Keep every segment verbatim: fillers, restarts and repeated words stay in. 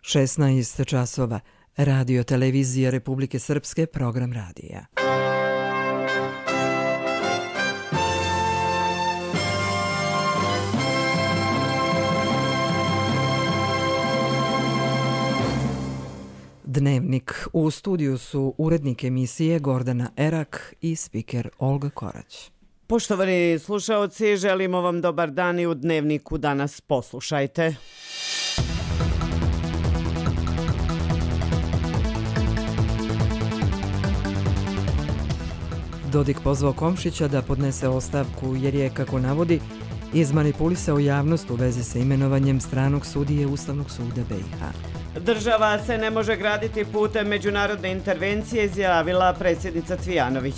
šesnaest časova. Radio televizija Republike Srpske, program radija. Dnevnik. U studiju su urednik emisije Gordana Erak i spiker Olga Korać. Poštovani slušaoci, želimo vam dobar dan i u Dnevniku danas poslušajte. Dodik pozvao Komšića da podnese ostavku jer je, kako navodi, izmanipulisao javnost u vezi sa imenovanjem stranog sudije Ustavnog suda B i H. Država se ne može graditi putem međunarodne intervencije, izjavila predsjednica Cvijanović.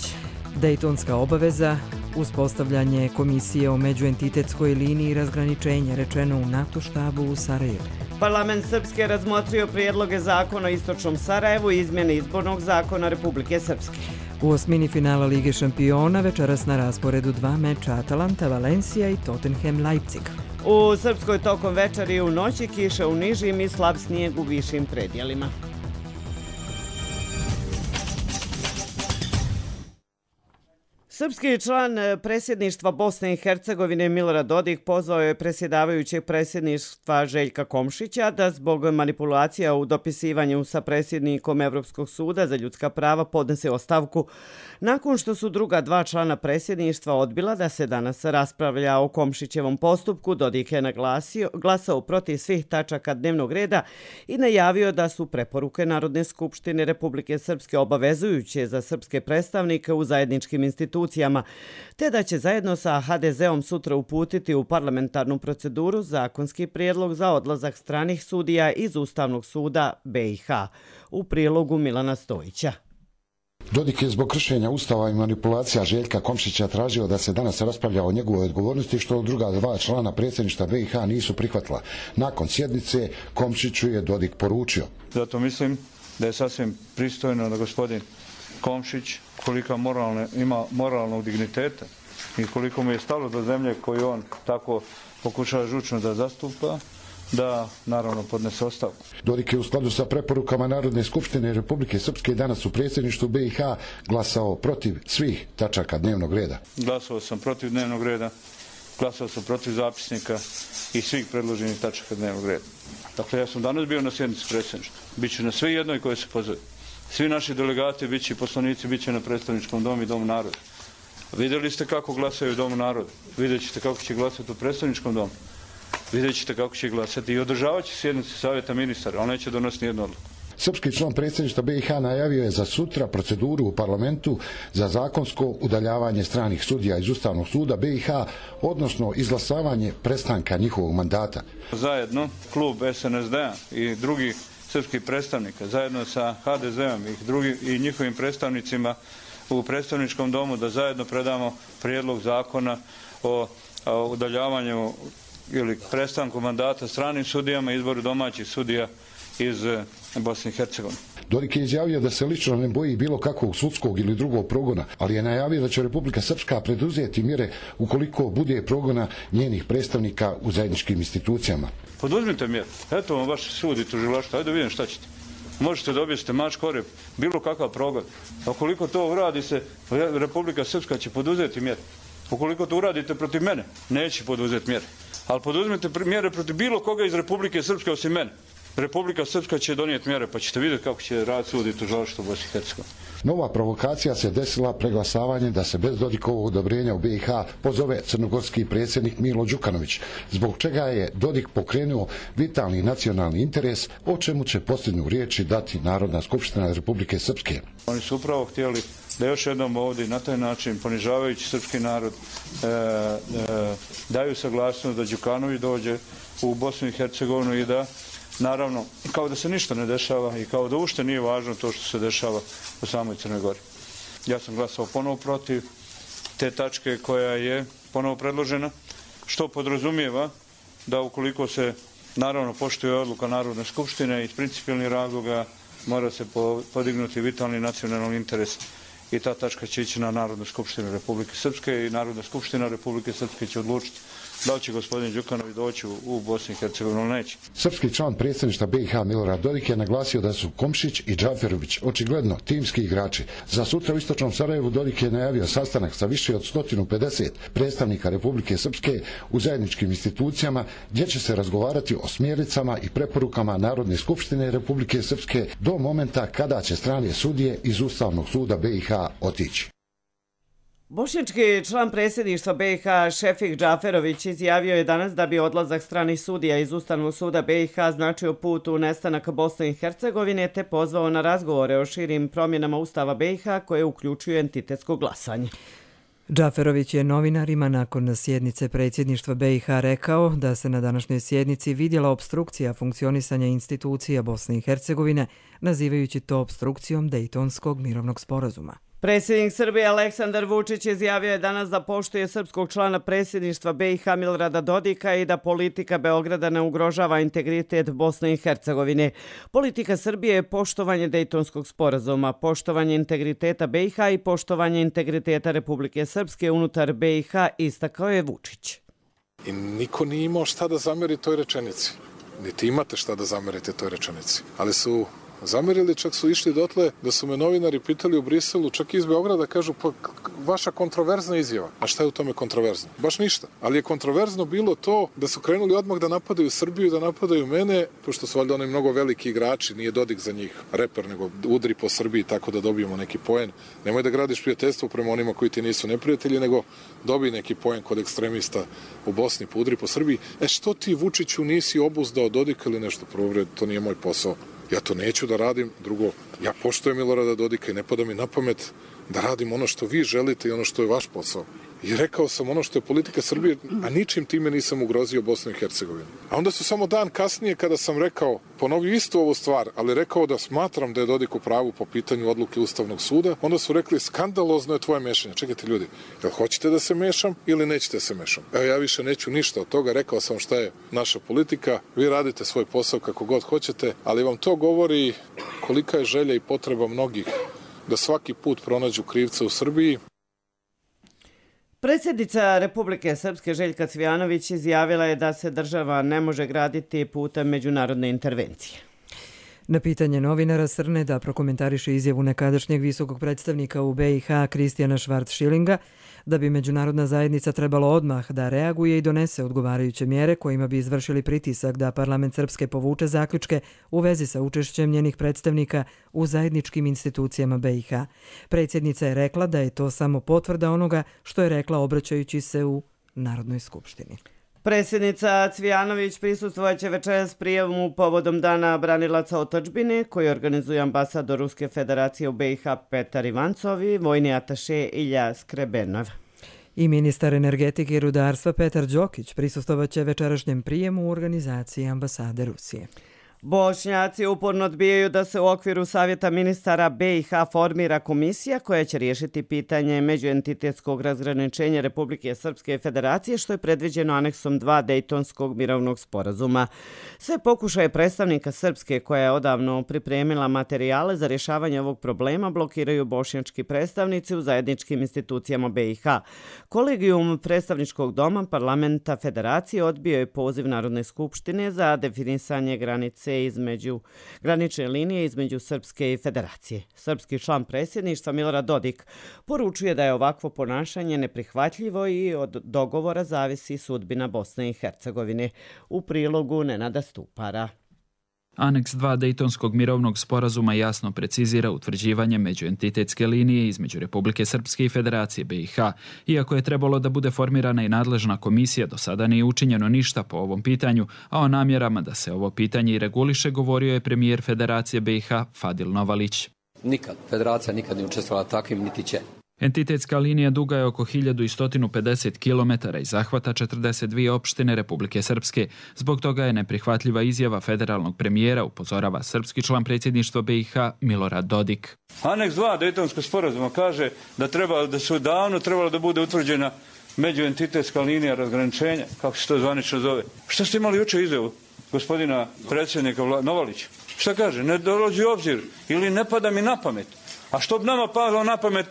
Dejtonska obaveza, uspostavljanje komisije o međuentitetskoj liniji razgraničenja, rečeno u NATO štabu u Sarajevu. Parlament Srpske razmotrio prijedloge zakona o istočnom Sarajevu i izmjene izbornog zakona Republike Srpske. U osmini finala Lige šampiona večeras na rasporedu dva meča Atalanta, Valencija i Tottenham, Leipzig. U Srpskoj tokom večeri i u noći kiša u nižim i slab snijeg u višim predjelima. Srpski član predsjedništva Bosne i Hercegovine Milorad Dodik pozvao je predsjedavajućeg predsjedništva Željka Komšića da zbog manipulacija u dopisivanju sa predsjednikom Evropskog suda za ljudska prava podnese ostavku nakon što su druga dva člana predsjedništva odbila da se danas raspravlja o Komšićevom postupku. Dodik je naglasio, glasao protiv svih tačaka dnevnog reda i najavio da su preporuke Narodne skupštine Republike Srpske obavezujuće za srpske predstavnike u zajedničkim institucijama, te da će zajedno sa ha de zeom sutra uputiti u parlamentarnu proceduru zakonski prijedlog za odlazak stranih sudija iz Ustavnog suda B i H. U prilogu Milana Stojića. Dodik je zbog kršenja Ustava i manipulacija Željka Komšića tražio da se danas raspravlja o njegovoj odgovornosti, što druga dva člana predsjedništva B i H nisu prihvatila. Nakon sjednice Komšiću je Dodik poručio: Zato mislim da je sasvim pristojno da gospodin Komšić, koliko moralne, ima moralnog digniteta i koliko mu je stalo do zemlje koju on tako pokušava žučno da zastupa, da naravno podnese ostavku. Dodik je u skladu sa preporukama Narodne skupštine Republike Srpske danas u predsjedništvu B i H glasao protiv svih tačaka dnevnog reda. Glasao sam protiv dnevnog reda, glasao sam protiv zapisnika i svih predloženih tačaka dnevnog reda. Dakle, ja sam danas bio na sjednici predsjedništva. Biću na sve jednoj koje se pozove. Svi naši delegati, bit će i poslanici, bit će na predstavničkom domu i Domu naroda. Vidjeli ste kako glasaju u Domu naroda. Vidjet ćete kako će glasati u predstavničkom domu. Vidjet ćete kako će glasati i održavat će sjednice savjeta ministara, ali neće donositi nijednu odluku. Srpski član predsjedništva B i H najavio je za sutra proceduru u parlamentu za zakonsko udaljavanje stranih sudija iz Ustavnog suda B i H, odnosno izglasavanje prestanka njihovog mandata. Zajedno, klub es en es de a i drugi srpskih predstavnika, zajedno sa ha de zeom i, drugi, i njihovim predstavnicima u predstavničkom domu, da zajedno predamo prijedlog zakona o, o udaljavanju ili prestanku mandata stranim sudijama i izboru domaćih sudija iz Bosne i Hercegovine. Dodik je izjavio da se lično ne boji bilo kakvog sudskog ili drugog progona, ali je najavio da će Republika Srpska preduzeti mjere ukoliko bude progona njenih predstavnika u zajedničkim institucijama. Poduzmite mjere. Eto vam vaš sud i tužilaštvo. Ajde da vidim šta ćete. Možete dobiti mač korep, bilo kakav progon. A ukoliko to uradi se, Republika Srpska će poduzeti mjere. Ukoliko to uradite protiv mene, neće poduzeti mjere. Ali poduzmite mjere protiv bilo koga iz Republike Srpske osim mene. Republika Srpska će donijeti mjere, pa ćete vidjeti kako će raditi sud i tužilaštvo u Bosni i Hercegovini. Nova provokacija se desila preglasavanjem da se bez Dodikovog odobrenja u B i H pozove crnogorski predsjednik Milo Đukanović, zbog čega je Dodik pokrenuo vitalni nacionalni interes, o čemu će posljednju riječi dati Narodna skupština Republike Srpske. Oni su upravo htjeli da još jednom ovdje na taj način, ponižavajući srpski narod, e, e, daju saglasnost da Đukanović dođe u Bosnu i Hercegovinu i da, naravno, kao da se ništa ne dešava i kao da ušte nije važno to što se dešava u samoj Crnoj Gori. Ja sam glasao ponovo protiv te tačke koja je ponovo predložena, što podrazumijeva da ukoliko se, naravno, poštuje odluka Narodne skupštine iz principijelnih razloga, mora se podignuti vitalni nacionalni interes i ta tačka će ići na Narodnu skupštinu Republike Srpske i Narodna skupština Republike Srpske će odlučiti da li će gospodin Đukanović doći u Bosnu i Hercegovinu ili neće. Srpski član predsjedništva B i H Milorad Dodik je naglasio da su Komšić i Džaferović očigledno timski igrači. Za sutra u istočnom Sarajevu Dodik je najavio sastanak sa više od sto pedeset predstavnika Republike Srpske u zajedničkim institucijama gdje će se razgovarati o smjernicama i preporukama Narodne skupštine Republike Srpske do momenta kada će strane sudije iz Ustavnog suda B i H otići. Bošnjački član predsjedništva B i H Šefik Džaferović izjavio je danas da bi odlazak stranih sudija iz Ustavnog suda B i H značio put u nestanak Bosne i Hercegovine te pozvao na razgovore o širim promjenama Ustava B i H koje uključuju entitetsko glasanje. Džaferović je novinarima nakon sjednice predsjedništva B i H rekao da se na današnjoj sjednici vidjela opstrukcija funkcionisanja institucija Bosne i Hercegovine, nazivajući to opstrukcijom Dejtonskog mirovnog sporazuma. Predsjednik Srbije Aleksandar Vučić izjavio je danas da poštuje srpskog člana predsjedništva B i H Milorada Dodika i da politika Beograda ne ugrožava integritet Bosne i Hercegovine. Politika Srbije je poštovanje Dejtonskog sporazuma, poštovanje integriteta B i H i poštovanje integriteta Republike Srpske unutar B i H, istakao je Vučić. I niko nije imao šta da zameri toj rečenici. Niti imate šta da zamerite toj rečenici. Ali su zamerili, čak su išli dotle da su me novinari pitali u Briselu, čak iz Beograda, kažu pa vaša kontroverzna izjava. A šta je u tome kontroverzno? Baš ništa. Ali je kontroverzno bilo to da su krenuli odmah da napadaju Srbiju, da napadaju mene, pošto su valjda oni mnogo veliki igrači, nije Dodik za njih reper, nego udri po Srbiji tako da dobijemo neki poen. Nemoj da gradiš prijateljstvo prema onima koji ti nisu neprijatelji, nego dobij neki poen kod ekstremista u Bosni, pa udri po Srbiji. E što ti, Vučiću, nisi obuzdao Dodika ili nešto? Prvo, to nije moj posao. Ja to neću da radim. Drugo, ja poštujem Milorada Dodika i ne pada mi na pamet da radim ono što vi želite i ono što je vaš posao. I rekao sam ono što je politika Srbije, a ničim time nisam ugrozio Bosnu i Hercegovinu. A onda su samo dan kasnije kada sam rekao, ponovio istu ovu stvar, ali rekao da smatram da je Dodik u pravu po pitanju odluke Ustavnog suda, onda su rekli skandalozno je tvoje mešanje. Čekajte ljudi, jel hoćete da se mešam ili nećete da se mešam? Evo ja više neću ništa od toga, rekao sam šta je naša politika, vi radite svoj posao kako god hoćete, ali vam to govori kolika je želja i potreba mnogih da svaki put pronađu krivca u Srbiji. Predsjednica Republike Srpske Željka Cvijanović izjavila je da se država ne može graditi putem međunarodne intervencije. Na pitanje novinara Srne da prokomentariše izjavu nekadašnjeg visokog predstavnika u B i H Kristijana Švarc-Šilinga da bi međunarodna zajednica trebalo odmah da reaguje i donese odgovarajuće mjere kojima bi izvršili pritisak da parlament Srpske povuče zaključke u vezi sa učešćem njenih predstavnika u zajedničkim institucijama B i H. Predsjednica je rekla da je to samo potvrda onoga što je rekla obraćajući se u Narodnoj skupštini. Predsjednica Cvijanović prisustvovaće večeras prijemu povodom Dana branilaca otadžbine koji organizuje ambasador Ruske federacije u B i H Petar Ivancov i vojni ataše Ilja Skrebenov. I ministar energetike i rudarstva Petar Đokić prisustvovaće večerašnjem prijemu u organizaciji ambasade Rusije. Bošnjaci uporno odbijaju da se u okviru Savjeta ministara B i H formira komisija koja će riješiti pitanje međuentitetskog razgraničenja Republike Srpske i Federacije što je predviđeno aneksom dva Dejtonskog mirovnog sporazuma. Sve pokušaje predstavnika Srpske koja je odavno pripremila materijale za rješavanje ovog problema blokiraju bošnjački predstavnici u zajedničkim institucijama B i H. Kolegijum predstavničkog doma parlamenta Federacije odbio je poziv Narodne skupštine za definisanje granice između granične linije između Srpske i Federacije. Srpski član predsjedništva Milorad Dodik poručuje da je ovakvo ponašanje neprihvatljivo i od dogovora zavisi sudbina Bosne i Hercegovine. U prilogu Nenada Stupara. Aneks dva Dejtonskog mirovnog sporazuma jasno precizira utvrđivanje međuentitetske linije između Republike Srpske i Federacije B i H. Iako je trebalo da bude formirana i nadležna komisija, do sada nije učinjeno ništa po ovom pitanju, a o namjerama da se ovo pitanje i reguliše govorio je premijer Federacije B i H Fadil Novalić. Nikad, Federacija nikad nije učestvovala takvim, niti će. Entitetska linija duga je oko hiljadu sto pedeset kilometara i zahvata četrdeset dvije opštine Republike Srpske. Zbog toga je neprihvatljiva izjava federalnog premijera, upozorava srpski član predsjedništva B i H Milorad Dodik. Aneks dva Dejtonskog sporazuma kaže da treba da su davno trebalo da bude utvrđena međuentitetska linija razgraničenja, kako se to zvanično zove. Što ste imali jučer izjavu gospodina predsjednika Novalića? Šta kaže? Ne dolazi u obzir ili ne pada mi na pamet. A što bi nama padalo na pamet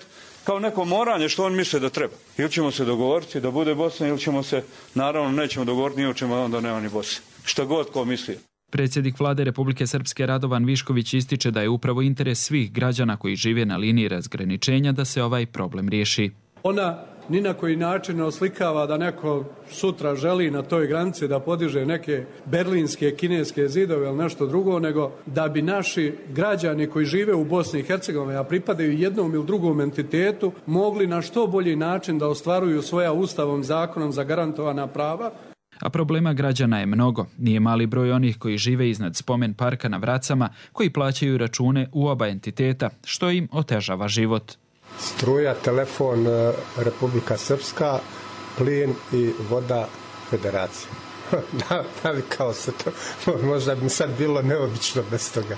kao neko moranje što on misle da treba. Ili ćemo se dogovoriti da bude Bosna, ili ćemo se, naravno, nećemo dogovoriti ni o čemu, onda nema ni Bosne. Šta god ko misli. Predsjednik vlade Republike Srpske Radovan Višković ističe da je upravo interes svih građana koji žive na liniji razgraničenja da se ovaj problem riješi. Ona ni na koji način ne oslikava da neko sutra želi na toj granici da podiže neke berlinske, kineske zidove ili nešto drugo, nego da bi naši građani koji žive u Bosni i Hercegovini, a pripadaju jednom ili drugom entitetu, mogli na što bolji način da ostvaruju svoja ustavom, zakonom zagarantovana prava. A problema građana je mnogo. Nije mali broj onih koji žive iznad spomen parka na Vracama, koji plaćaju račune u oba entiteta, što im otežava život. Struja, telefon Republika Srpska, plin i voda Federacija. Navikao se to. Možda bi sad bilo neobično bez toga.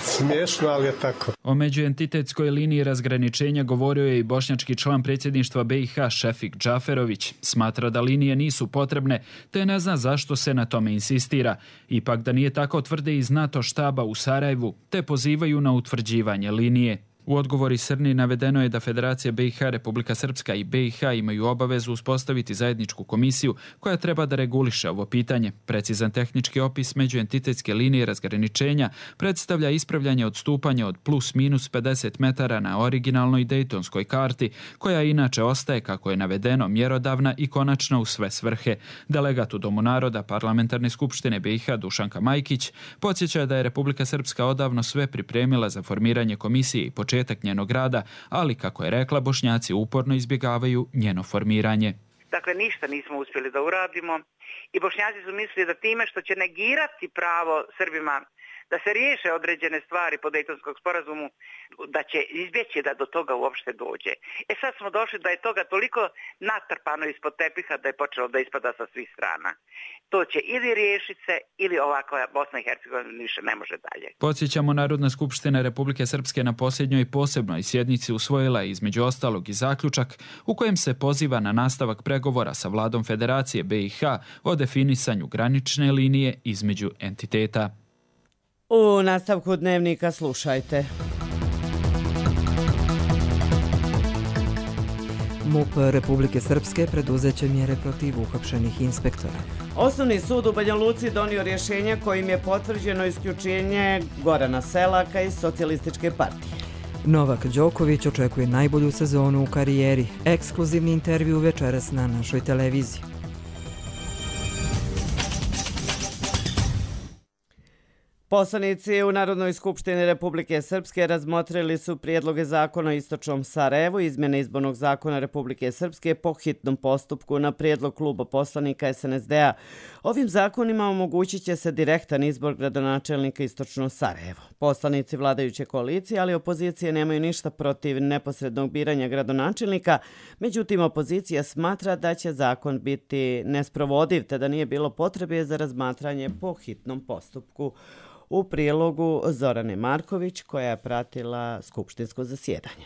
Smiješno, ali je tako. O međuentitetskoj liniji razgraničenja govorio je i bošnjački član predsjedništva B i H Šefik Džaferović. Smatra da linije nisu potrebne, te ne zna zašto se na tome insistira. Ipak da nije tako tvrde iz NATO štaba u Sarajevu, te pozivaju na utvrđivanje linije. U odgovori Srni navedeno je da Federacija B i H, Republika Srpska i B i H imaju obavezu uspostaviti zajedničku komisiju koja treba da reguliše ovo pitanje. Precizan tehnički opis međuentitetske linije razgraničenja predstavlja ispravljanje odstupanja od plus minus pedeset metara na originalnoj dejtonskoj karti, koja inače ostaje, kako je navedeno, mjerodavna i konačna u sve svrhe. Delegat u Domu naroda Parlamentarne skupštine B i H Dušanka Majkić podsjeća da je Republika Srpska odavno sve pripremila za formiranje komisije i početak njenog rada, ali kako je rekla, Bošnjaci uporno izbjegavaju njeno formiranje. Dakle, ništa nismo uspjeli da uradimo i Bošnjaci su mislili da time što će negirati pravo Srbima da se riješe određene stvari po Dejtonskom sporazumu, da će izbjeći da do toga uopšte dođe. E sad smo došli da je toga toliko natrpano ispod tepiha da je počelo da ispada sa svih strana. To će ili riješiti se, ili ovakva Bosna i Hercegovina više ne može dalje. Podsjećamo, Narodna skupština Republike Srpske na posljednjoj posebnoj sjednici usvojila između ostalog i zaključak u kojem se poziva na nastavak pregovora sa vladom Federacije B i H o definisanju granične linije između entiteta. U nastavku dnevnika slušajte. MUP Republike Srpske preduzeće mjere protiv uhapšenih inspektora. Osnovni sud u Banja Luci donio rješenje kojim je potvrđeno isključenje Gorana Selaka iz Socijalističke partije. Novak Đoković očekuje najbolju sezonu u karijeri. Ekskluzivni intervju večeras na našoj televiziji. Poslanici u Narodnoj skupštini Republike Srpske razmotrili su prijedloge zakona o Istočnom Sarajevu, izmjene izbornog zakona Republike Srpske po hitnom postupku na prijedlog kluba poslanika S N S D-a. Ovim zakonima omogućit će se direktan izbor gradonačelnika Istočno Sarajevo. Poslanici vladajuće koalicije, ali opozicije nemaju ništa protiv neposrednog biranja gradonačelnika, međutim opozicija smatra da će zakon biti nesprovodiv, te da nije bilo potrebe za razmatranje po hitnom postupku. U prilogu Zorane Marković, koja je pratila skupštinsko zasjedanje.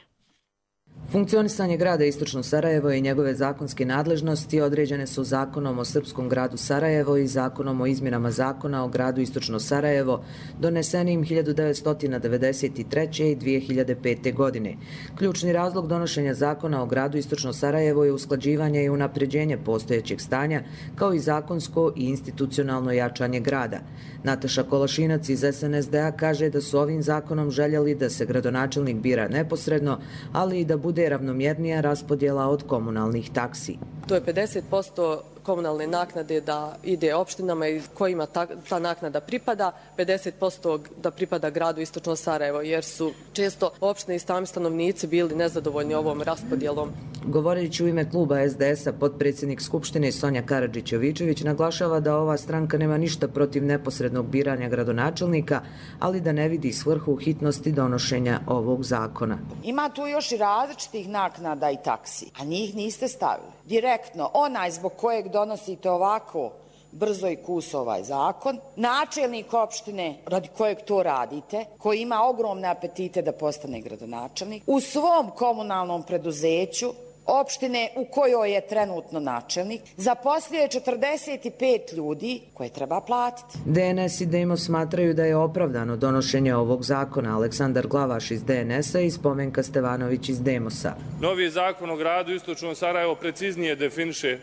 Funkcionisanje grada Istočno Sarajevo i njegove zakonske nadležnosti određene su Zakonom o Srpskom gradu Sarajevo i Zakonom o izmjenama zakona o gradu Istočno Sarajevo, donesenim hiljadu devetsto devedeset treće. i dvije hiljade pete. godine. Ključni razlog donošenja zakona o gradu Istočno Sarajevo je usklađivanje i unapređenje postojećeg stanja, kao i zakonsko i institucionalno jačanje grada. Nataša Kolašinac iz S N S D-a kaže da su ovim zakonom željeli da se gradonačelnik bira neposredno, ali i da bude ravnomjernija raspodjela od komunalnih taksi. To je pedeset posto komunalne naknade da ide opštinama i kojima ta, ta naknada pripada, pedeset posto da pripada gradu Istočno Sarajevo, jer su često opštine i sami stanovnici bili nezadovoljni ovom raspodjelom. Govoreći u ime kluba S D S-a, potpredsjednik Skupštine Sonja Karadžić-Jovičević naglašava da ova stranka nema ništa protiv neposrednog biranja gradonačelnika, ali da ne vidi svrhu hitnosti donošenja ovog zakona. Ima tu još i različitih naknada i taksi, a njih niste stavili. Direktno, onaj zbog kojeg donosite ovako brzo i kus ovaj zakon, načelnik opštine radi kojeg to radite, koji ima ogromne apetite da postane gradonačelnik, u svom komunalnom preduzeću opštine u kojoj je trenutno načelnik, zaposlio je četrdeset pet ljudi koje treba platiti. D N S i Demos smatraju da je opravdano donošenje ovog zakona. Aleksandar Glavaš iz D N S-a i Spomenka Stevanović iz Demosa. Novi zakon o gradu Istočnog Sarajevo preciznije definiše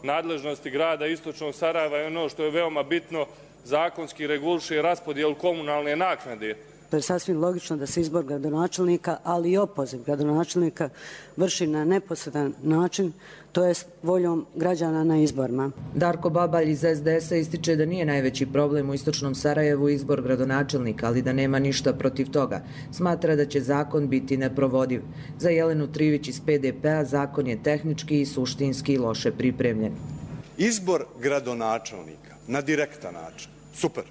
nadležnosti grada Istočnog Sarajeva i ono što je veoma bitno, zakonski reguliše raspodjelu komunalne naknade. To je sasvim logično da se izbor gradonačelnika, ali i opoziv gradonačelnika vrši na neposredan način, to jest voljom građana na izborima. Darko Babalj iz S D S-a ističe da nije najveći problem u Istočnom Sarajevu izbor gradonačelnika, ali da nema ništa protiv toga. Smatra da će zakon biti neprovodiv. Za Jelenu Trivić iz P D P-a zakon je tehnički i suštinski loše pripremljen. Izbor gradonačelnika na direktan način, super.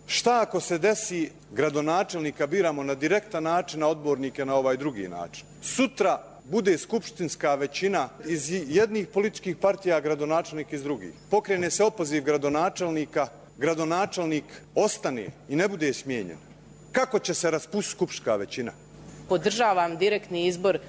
Šta ako se desi gradonačelnika biramo na direktan način, a odbornike na ovaj drugi način? Sutra bude skupštinska većina iz jednih političkih partija, gradonačelnik iz drugih. Pokrene se opoziv gradonačelnika, gradonačelnik ostane i ne bude smijenjen. Kako će se raspustiti skupštinska većina? Podržavam direktni izbor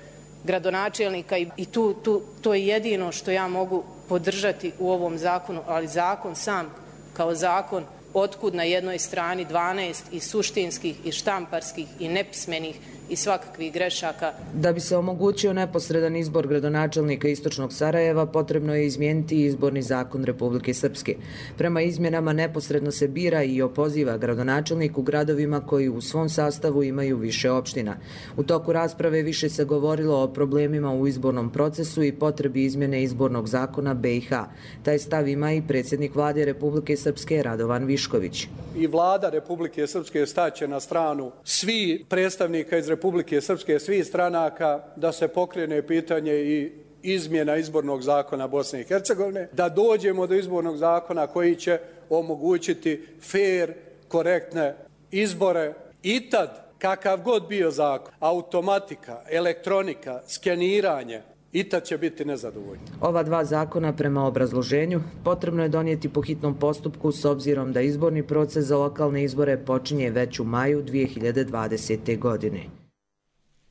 gradonačelnika i tu, tu, to je jedino što ja mogu podržati u ovom zakonu, ali zakon sam kao zakon, otkud na jednoj strani dvanaest i suštinskih i štamparskih i nepismenih i svakakvih grešaka. Da bi se omogućio neposredan izbor gradonačelnika Istočnog Sarajeva, potrebno je izmijeniti izborni zakon Republike Srpske. Prema izmjenama neposredno se bira i opoziva gradonačelnik u gradovima koji u svom sastavu imaju više opština. U toku rasprave više se govorilo o problemima u izbornom procesu i potrebi izmjene izbornog zakona B i H. Taj stav ima i predsjednik vlade Republike Srpske Radovan Višković. I vlada Republike Srpske staće na stranu svi predstavnika iz Republike Srpske, svih stranaka, da se pokrene pitanje i izmjena izbornog zakona Bosne i Hercegovine, da dođemo do izbornog zakona koji će omogućiti fer, korektne izbore i tad, kakav god bio zakon, automatika, elektronika, skeniranje, i tad će biti nezadovoljni. Ova dva zakona prema obrazloženju potrebno je donijeti po hitnom postupku s obzirom da izborni proces za lokalne izbore počinje već u maju dvije hiljade dvadesete. godine.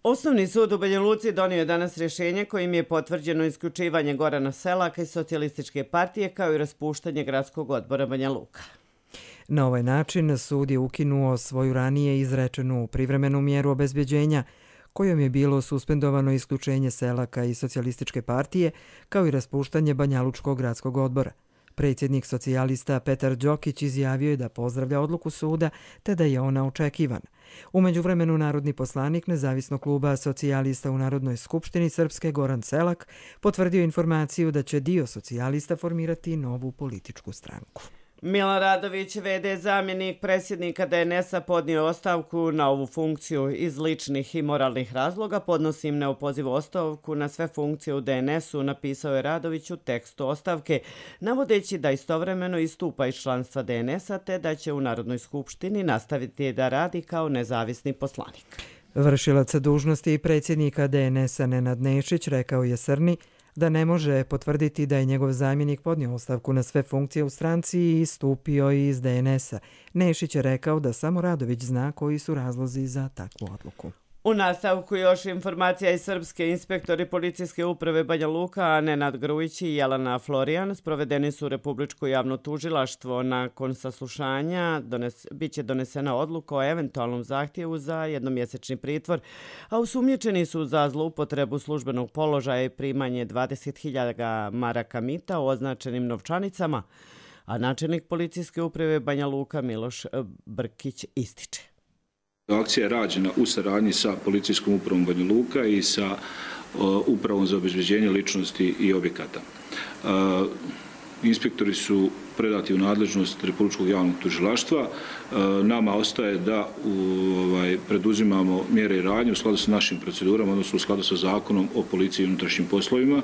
Osnovni sud u Banja Luci donio je danas rješenje kojim je potvrđeno isključivanje Gorana Selaka iz Socijalističke partije kao i raspuštanje gradskog odbora Banja Luka. Na ovaj način sud je ukinuo svoju ranije izrečenu privremenu mjeru obezbeđenja kojom je bilo suspendovano isključenje Selaka iz Socijalističke partije kao i raspuštanje Banjalučkog gradskog odbora. Predsjednik socijalista Petar Đokić izjavio je da pozdravlja odluku suda te da je ona očekivana. U međuvremenu narodni poslanik nezavisnog kluba socijalista u Narodnoj skupštini Srpske Goran Selak potvrdio informaciju da će dio socijalista formirati novu političku stranku. Milan Radović, v d zamjenik predsjednika D N S-a, podnio ostavku na ovu funkciju iz ličnih i moralnih razloga. Podnosim neopozivu ostavku na sve funkcije u D N S-u, napisao je Radović u tekstu ostavke, navodeći da istovremeno istupa iz članstva D N S-a te da će u Narodnoj skupštini nastaviti da radi kao nezavisni poslanik. Vršilac dužnosti predsjednika D N S-a Nenad Nešić rekao je Srni da ne može potvrditi da je njegov zamjenik podnio ostavku na sve funkcije u stranci i istupio iz D N S-a. Nešić je rekao da samo Radović zna koji su razlozi za takvu odluku. U nastavku još informacija iz Srpske. Inspektori policijske uprave Banja Luka, Nenad Grujić i Jelena Florijan, sprovedeni su u Republičko javno tužilaštvo. Nakon saslušanja dones, bit će donesena odluka o eventualnom zahtjevu za jednomjesečni pritvor, a osumnjičeni su za zloupotrebu službenog položaja i primanje dvadeset hiljada maraka mita u označenim novčanicama, a načelnik policijske uprave Banja Luka Miloš Brkić ističe. Akcija je rađena u saradnji sa policijskom upravom Banja Luka i sa uh, upravom za obezbeđenje ličnosti i objekata. Uh, inspektori su predati u nadležnost Republičkog javnog tužilaštva. Uh, nama ostaje da u, ovaj, preduzimamo mjere i radnje u skladu sa našim procedurama, odnosno u skladu sa zakonom o policiji i unutrašnjim poslovima.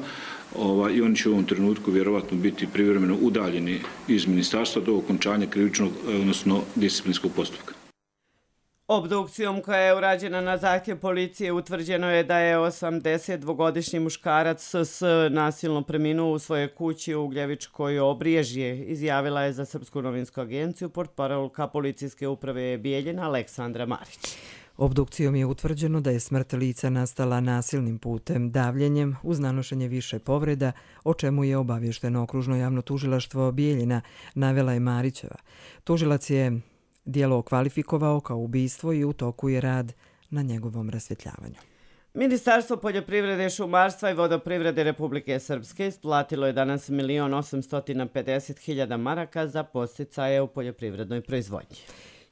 Ovaj, I oni će u ovom trenutku vjerovatno biti privremeno udaljeni iz ministarstva do okončanja krivičnog, odnosno disciplinskog postupka. Obdukcijom koja je urađena na zahtjev policije utvrđeno je da je osamdesetdvogodišnji muškarac S nasilno preminuo u svojoj kući u Ugljevičkoj Obriježje, izjavila je za Srpsku novinsku agenciju portparolka policijske uprave Bijeljina Aleksandra Marić. Obdukcijom je utvrđeno da je smrt lica nastala nasilnim putem, davljenjem uz nanošenje više povreda, o čemu je obavješteno okružno javno tužilaštvo Bijeljina, navela je Marićeva. Tužilac je djelo okvalifikovao kao ubistvo i u toku je rad na njegovom rasvjetljavanju. Ministarstvo poljoprivrede, šumarstva i vodoprivrede Republike Srpske isplatilo je danas milion osamsto pedeset hiljada maraka za podsticaje u poljoprivrednoj proizvodnji.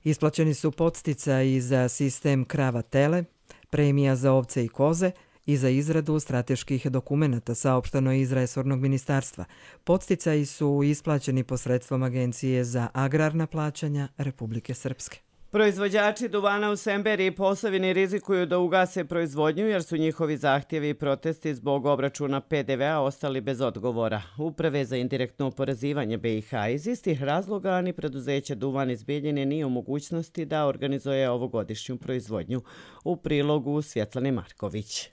Isplaćeni su podsticaji za sistem krava-tele, premija za ovce i koze i za izradu strateških dokumenata, saopšteno iz resornog ministarstva. Podsticaji su isplaćeni posredstvom Agencije za agrarna plaćanja Republike Srpske. Proizvođači duvana u Semberiji i Posavini rizikuju da ugase proizvodnju jer su njihovi zahtjevi i protesti zbog obračuna P D V-a ostali bez odgovora. Uprave za indirektno oporezivanje B i H iz istih razloga ni preduzeće Duvan iz Bijeljine nije u mogućnosti da organizuje ovogodišnju proizvodnju. U prilogu Svjetlane Marković.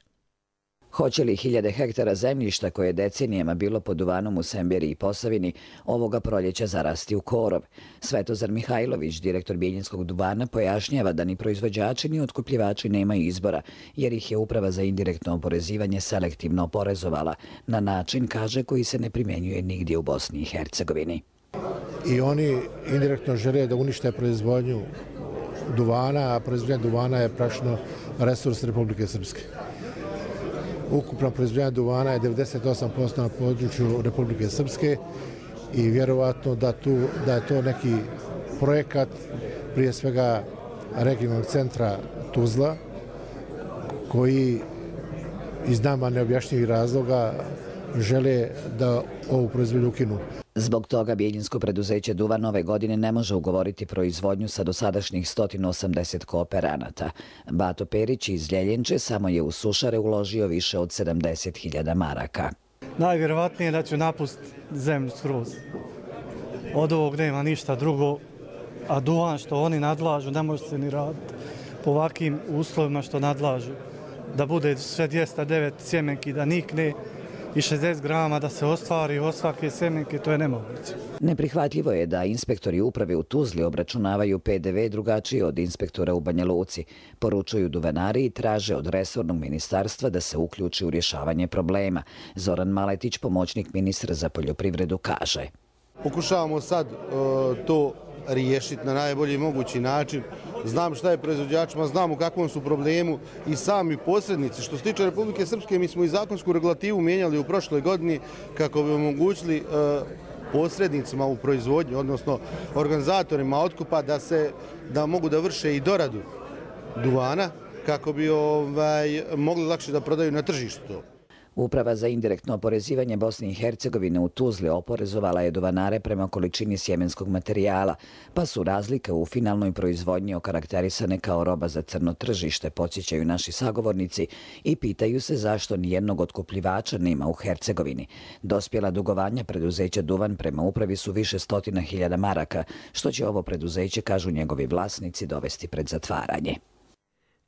Hoće li hiljade hektara zemljišta koje je decenijama bilo pod duvanom u Semberiji i Posavini ovoga proljeća zarasti u korov? Svetozar Mihajlović, direktor Bijeljinskog duvana, pojašnjava da ni proizvođači ni otkupljivači nemaju izbora, jer ih je Uprava za indirektno oporezivanje selektivno oporezovala na način, kaže, koji se ne primjenjuje nigdje u Bosni i Hercegovini. I oni indirektno žele da unište proizvodnju duvana, a proizvodnja duvana je praktično resurs Republike Srpske. Ukupna proizvodnja duvana je devedeset osam posto na području Republike Srpske i vjerovatno da, tu, da je to neki projekat prije svega regionalnog centra Tuzla koji iz nama neobjašnjivih razloga žele da ovu proizvodnju ukinu. Zbog toga Bijeljinsko preduzeće Duvan ove godine ne može ugovoriti proizvodnju sa dosadašnjih sto osamdeset kooperanata. Bato Perić iz Ljeljenče samo je u sušare uložio više od sedamdeset hiljada maraka. Najvjerovatnije da ću napustiti zemlju skroz. Od ovog nema ništa drugo, a duvan što oni nadlažu ne može se ni raditi po ovakvim uslovima što nadlažu. Da bude sve dvjesto devet sjemenki da nikne i šezdeset grama da se ostvari od svake sjemenke, to je nemoguće. Neprihvatljivo je da inspektori uprave u Tuzli obračunavaju P D V drugačije od inspektora u Banja Luci. Poručuju duvanari i traže od resornog ministarstva da se uključi u rješavanje problema. Zoran Maletić, pomoćnik ministra za poljoprivredu, kaže. Pokušavamo sad uh, to riješiti na najbolji mogući način. Znam šta je proizvođačima, znam u kakvom su problemu i sami posrednici. Što se tiče Republike Srpske, mi smo i zakonsku regulativu mijenjali u prošloj godini kako bi omogućili uh, posrednicima u proizvodnji, odnosno organizatorima otkupa da se da mogu da vrše i doradu duvana kako bi ovaj, mogli lakše da prodaju na tržištu to. Uprava za indirektno oporezivanje Bosne i Hercegovine u Tuzli oporezovala je duvanare prema količini sjemenskog materijala, pa su razlike u finalnoj proizvodnji okarakterisane kao roba za crno tržište, podsjećaju naši sagovornici i pitaju se zašto nijednog otkupljivača nema u Hercegovini. Dospjela dugovanja preduzeća Duvan prema upravi su više stotina hiljada maraka, što će ovo preduzeće, kažu njegovi vlasnici, dovesti pred zatvaranje.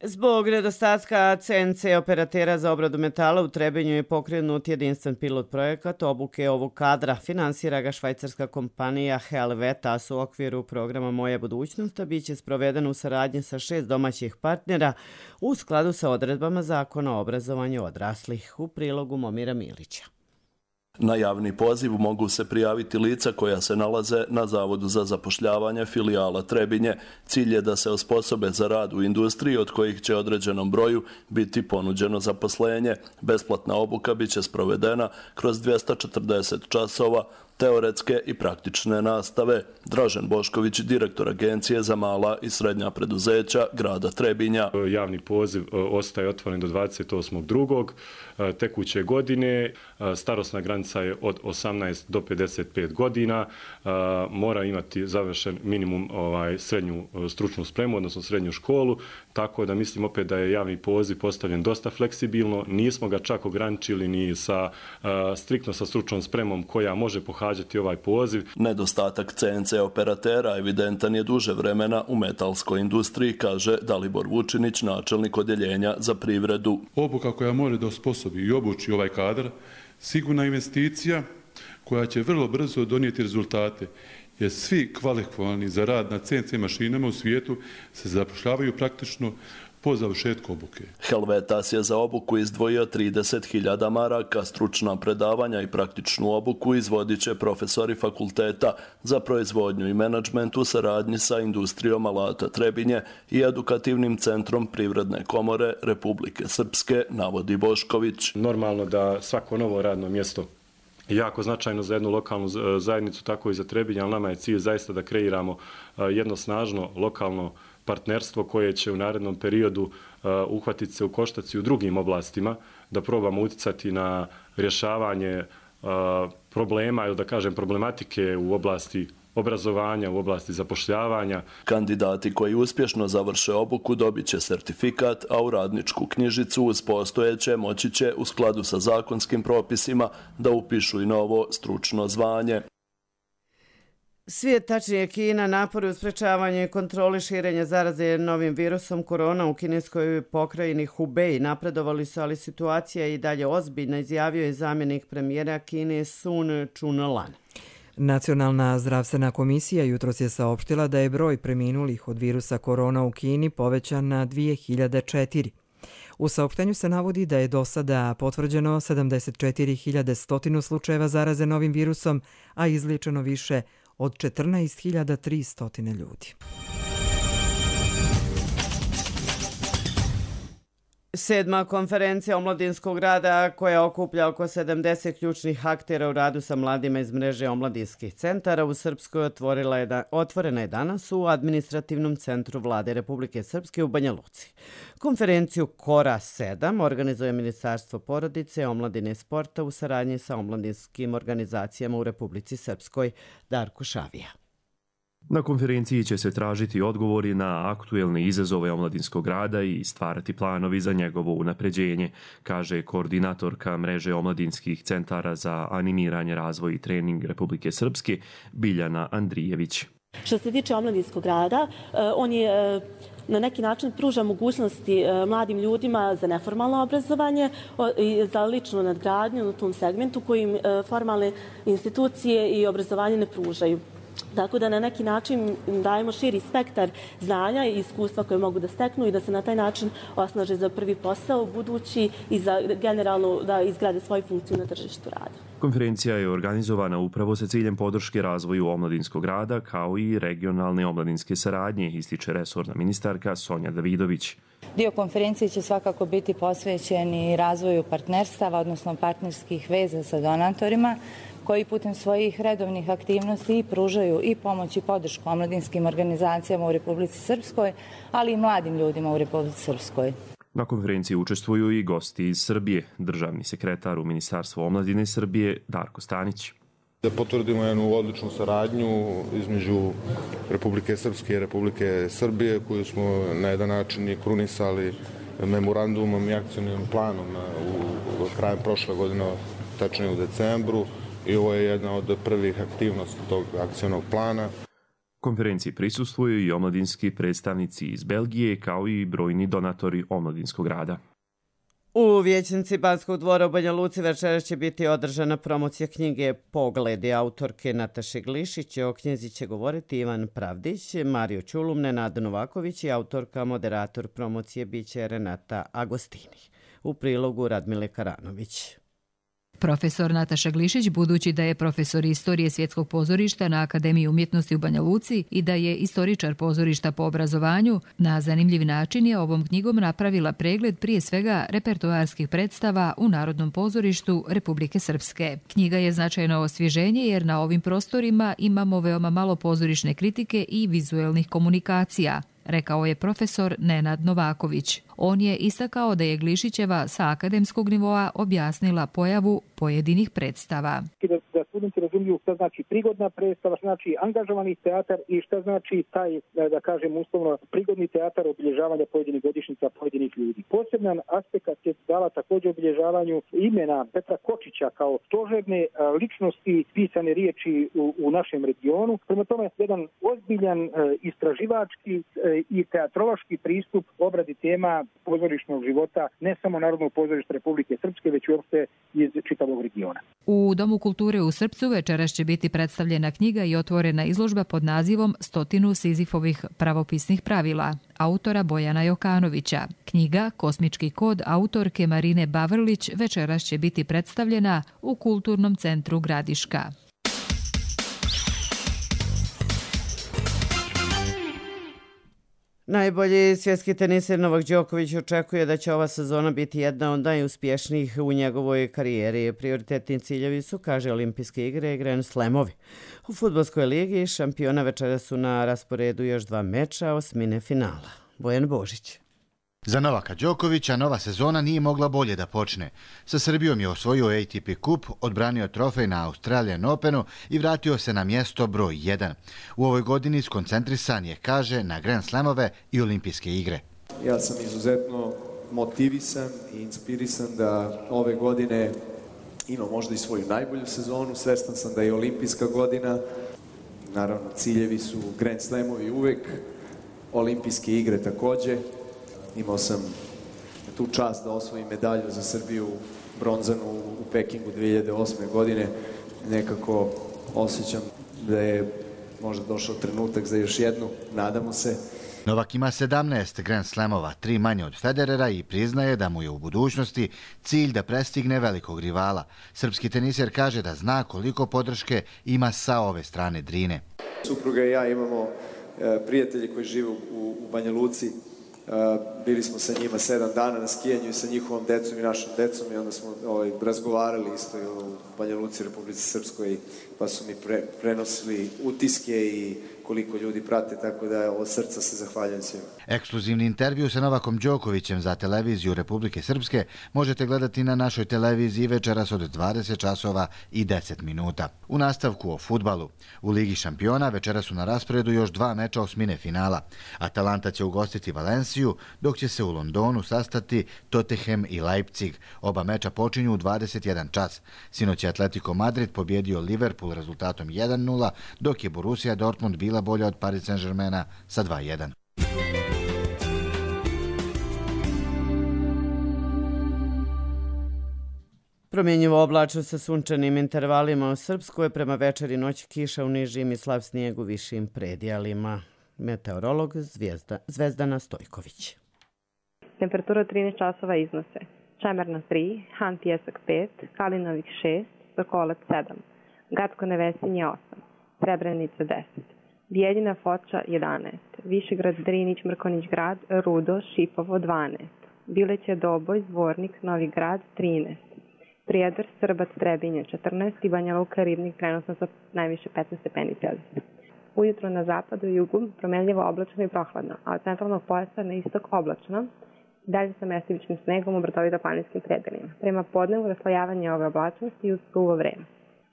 Zbog nedostatka C N C operatera za obradu metala u Trebinju je pokrenut jedinstven pilot projekat obuke ovog kadra. Finansira ga švajcarska kompanija Helvetas u okviru programa Moja budućnost, a bit će sproveden u saradnji sa šest domaćih partnera u skladu sa odredbama Zakona o obrazovanju odraslih. U prilogu Momira Milića. Na javni poziv mogu se prijaviti lica koja se nalaze na Zavodu za zapošljavanje filijala Trebinje. Cilj je da se osposobe za rad u industriji od kojih će određenom broju biti ponuđeno zaposlenje. Besplatna obuka bit će sprovedena kroz dvjesto četrdeset časova teoretske i praktične nastave. Dražen Bošković, direktor Agencije za mala i srednja preduzeća grada Trebinja. Javni poziv ostaje otvoren do dvadeset osmog drugog tekuće godine. Starosna granica je od osamnaest do pedeset pet godina. Mora imati završen minimum ovaj, srednju stručnu spremu, odnosno srednju školu. Tako da mislim opet da je javni poziv postavljen dosta fleksibilno. Nismo ga čak ograničili ni sa, striktno sa stručnom spremom koja može pohađati ovaj poziv. Nedostatak C N C operatera evidentan je duže vremena u metalskoj industriji, kaže Dalibor Vučinić, načelnik odjeljenja za privredu. Obuka koja mora da osposobi i obuči ovaj kadar, sigurna investicija koja će vrlo brzo donijeti rezultate, jer svi kvalifikovani za rad na C N C mašinama u svijetu se zapošljavaju praktično po završetku obuke. Helvetas je za obuku izdvojio trideset hiljada maraka, stručna predavanja i praktičnu obuku izvodit će profesori fakulteta za proizvodnju i menadžment u saradnji sa industrijom alata Trebinje i edukativnim centrom Privredne komore Republike Srpske, navodi Bošković. Normalno da svako novo radno mjesto jako značajno za jednu lokalnu zajednicu, tako i za Trebinje, ali nama je cilj zaista da kreiramo jedno snažno lokalno partnerstvo koje će u narednom periodu uh, uhvatiti se u koštac i u drugim oblastima, da probamo uticati na rješavanje uh, problema ili da kažem problematike u oblasti obrazovanja, u oblasti zapošljavanja. Kandidati koji uspješno završe obuku dobit će sertifikat, a u radničku knjižicu uz postojeće moći će u skladu sa zakonskim propisima da upišu i novo stručno zvanje. Svijet, tačnije Kina, napori u sprečavanju i kontroli širenja zaraze novim virusom korona u kineskoj pokrajini Hubei napredovali su, ali situacija je i dalje ozbiljna, izjavio je zamjenik premijera Kine Sun Chunlan. Nacionalna zdravstvena komisija jutros je saopštila da je broj preminulih od virusa korona u Kini povećan na dvije hiljade četiri. U saopštenju se navodi da je do sada potvrđeno sedamdeset četiri hiljade sto slučajeva zaraze novim virusom, a izliječeno više od četrnaest hiljada tristo ljudi. Sedma konferencija omladinskog rada koja okuplja oko sedamdeset ključnih aktera u radu sa mladima iz mreže omladinskih centara u Srpskoj otvorila je da, otvorena je danas u administrativnom centru Vlade Republike Srpske u Banja Luci. Konferenciju Kora sedam organizuje Ministarstvo porodice, omladine i sporta u saradnji sa omladinskim organizacijama u Republici Srpskoj. Darko Šavija. Na konferenciji će se tražiti odgovori na aktuelne izazove omladinskog rada i stvarati planovi za njegovo unapređenje, kaže koordinatorka mreže omladinskih centara za animiranje, razvoj i trening Republike Srpske Biljana Andrijević. Što se tiče omladinskog rada, on je na neki način pruža mogućnosti mladim ljudima za neformalno obrazovanje i za ličnu nadgradnju u tom segmentu kojim formalne institucije i obrazovanje ne pružaju. Tako da na neki način dajemo širi spektar znanja i iskustva koje mogu da steknu i da se na taj način osnaže za prvi posao budući i za generalno da izgrade svoju funkciju na tržištu rada. Konferencija je organizovana upravo sa ciljem podrške razvoju omladinskog rada kao i regionalne omladinske saradnje, ističe resorna ministarka Sonja Davidović. Dio konferencije će svakako biti posvećen i razvoju partnerstava, odnosno partnerskih veza sa donatorima, koji putem svojih redovnih aktivnosti pružaju i pomoć i podršku omladinskim organizacijama u Republici Srpskoj, ali i mladim ljudima u Republici Srpskoj. Na konferenciji učestvuju i gosti iz Srbije, državni sekretar u Ministarstvu omladine Srbije Darko Stanić. Da potvrdimo jednu odličnu saradnju između Republike Srpske i Republike Srbije, koju smo na jedan način i krunisali memorandumom i akcijnim planom u krajem prošle godine, tačnije u decembru. I ovo je jedna od prvih aktivnosti tog akcijnog plana. Konferenciji prisustvuju i omladinski predstavnici iz Belgije, kao i brojni donatori omladinskog rada. U vijećnici Banskog dvora u Banja Luci večeras će biti održana promocija knjige Pogledi autorke Nataše Glišić. O knjizi će govoriti Ivan Pravdić, Mario Ćulum, Nenad Novaković i autorka, moderator promocije biće Renata Agostini. U prilogu Radmile Karanović. Profesor Nataša Glišić, budući da je profesor istorije svjetskog pozorišta na Akademiji umjetnosti u Banja Luci i da je istoričar pozorišta po obrazovanju, na zanimljiv način je ovom knjigom napravila pregled prije svega repertoarskih predstava u Narodnom pozorištu Republike Srpske. Knjiga je značajno osvježenje jer na ovim prostorima imamo veoma malo pozorišne kritike i vizuelnih komunikacija, rekao je profesor Nenad Novaković. On je istakao da je Glišićeva sa akademskog nivoa objasnila pojavu pojedinih predstava. Da, da studenti razumiju šta znači prigodna predstava, šta znači angažovani teatar i šta znači taj, da, da kažem uslovno, prigodni teatar obilježavanja pojedinih godišnjica pojedinih ljudi. Poseban aspekt je dala također obilježavanju imena Petra Kočića kao stožerne ličnosti pisane riječi u, u našem regionu. Prema tome, jedan ozbiljan istraživački i teatrološki pristup obradi tema pozorišnog života ne samo Narodnog pozorišta Republike Srpske, već uopšte iz čitavog regiona. U Domu kulture u Srpcu večeras će biti predstavljena knjiga i otvorena izložba pod nazivom Stotinu Sizifovih pravopisnih pravila, autora Bojana Jokanovića. Knjiga Kosmički kod autorke Marine Bavrlić večeras će biti predstavljena u Kulturnom centru Gradiška. Najbolji svjetski teniser Novak Đoković očekuje da će ova sezona biti jedna od najuspješnijih u njegovoj karijeri. Prioritetni ciljevi su, kaže, olimpijske igre i Grand Slamovi. U fudbalskoj ligi šampiona večera su na rasporedu još dva meča osmine finala. Bojan Božić. Za Novaka Đokovića nova sezona nije mogla bolje da počne. Sa Srbijom je osvojio A T P kup, odbranio trofej na Australian Openu i vratio se na mjesto broj jedan. U ovoj godini skoncentrisan je, kaže, na Grand Slamove i olimpijske igre. Ja sam izuzetno motivisan i inspirisan da ove godine ima možda i svoju najbolju sezonu. Svestan sam da je olimpijska godina. Naravno, ciljevi su Grand Slamovi uvek, olimpijske igre također. Imao sam tu čast da osvojim medalju za Srbiju, bronzanu u Pekingu dvije hiljade osme. godine. Nekako osjećam da je možda došao trenutak za još jednu, nadamo se. Novak ima sedamnaest Grand Slamova, tri manje od Federera i priznaje da mu je u budućnosti cilj da prestigne velikog rivala. Srpski teniser kaže da zna koliko podrške ima sa ove strane Drine. Supruga i ja imamo e, prijatelji koji žive u, u Banja Luci. Uh, bili smo sa njima sedam dana na skijanju i sa njihovom decom i našom decom i onda smo ovaj, razgovarali isto u Banja Luci, Republici Srpskoj, pa su mi pre, prenosili utiske i koliko ljudi prate, tako da od srca se zahvaljujem svima. Ekskluzivni intervju sa Novakom Đokovićem za televiziju Republike Srpske možete gledati na našoj televiziji večeras od dvadeset časova i deset minuta. U nastavku o fudbalu. U Ligi šampiona večeras su na rasporedu još dva meča osmine finala. Atalanta će ugostiti Valenciju, dok će se u Londonu sastati Tottenham i Leipzig. Oba meča počinju u dvadeset jedan čas. Sinoć je Atletico Madrid pobjedio Liverpool rezultatom jedan nula, dok je Borussia Dortmund bila bolja od Paris Saint-Germaina sa dva jedan. Promjenjivo oblačno sa sunčanim intervalima u Srpskoj, prema večeri noći kiša u nižim i slab snijeg u višim predijalima. Meteorolog Zvijezda, Zvezdana Stojković. Temperatura trinaest časova iznose Čemerna tri, Han Pijesak pet, Kalinovik šest, Sokolac sedam, Gacko Nevesinje osam, Srebrenica deset, Bijeljina Foča jedanaest, Višegrad Drinić Mrkonić grad, Rudo, Šipovo dvanaest, Bileće Doboj, Zvornik, Novi grad trinaest, Prijedor, Srbac, Trebinje četrnaest i Banja Luka, Ribnik trenutno sa najviše petnaest stepeni Celzijusa. Ujutro na zapadu i jugu promenljivo oblačno i prohladno, a od centralnog pojasa na istok oblačno, dalje sa mestivičnim snegom u brdovito-planinskim predelima. Prema podnevu raslojavanje ove oblačnosti uz suvo vreme.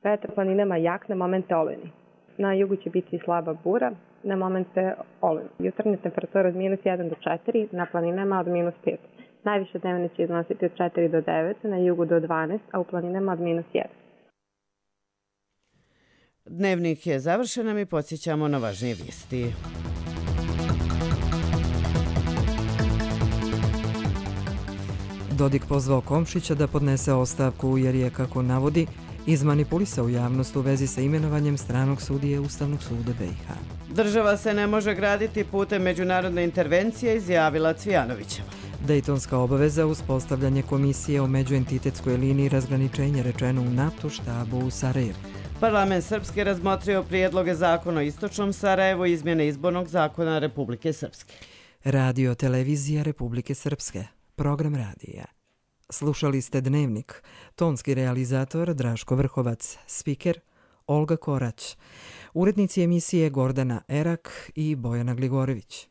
Vetar planinama jak, na momente olujni. Na jugu će biti slaba bura, na momente olujni. Jutarnja temperatura od minus jedan do četiri, na planinama od minus pet. Najviše dnevne će iznositi od četiri do devet, na jugu do dvanaest, a u planinama od minus jedan. Dnevnik je završen, a mi podsjećamo na važnije vijesti. Dodik pozvao Komšića da podnese ostavku jer je, kako navodi, izmanipulisao javnost u vezi sa imenovanjem stranog sudije Ustavnog suda B i H. Država se ne može graditi putem međunarodne intervencije, izjavila Cvijanovićeva. Dejtonska obaveza uspostavljanje komisije o međuentitetskoj liniji razgraničenja rečeno u NATO štabu u Sarajevu. Parlament Srpske razmotrio prijedloge zakona o istočnom Sarajevu i izmjene izbornog zakona Republike Srpske. Radio televizija Republike Srpske. Program radija. Slušali ste Dnevnik. Tonski realizator Draško Vrhovac. Spiker Olga Korać. Urednici emisije Gordana Erak i Bojana Gligorević.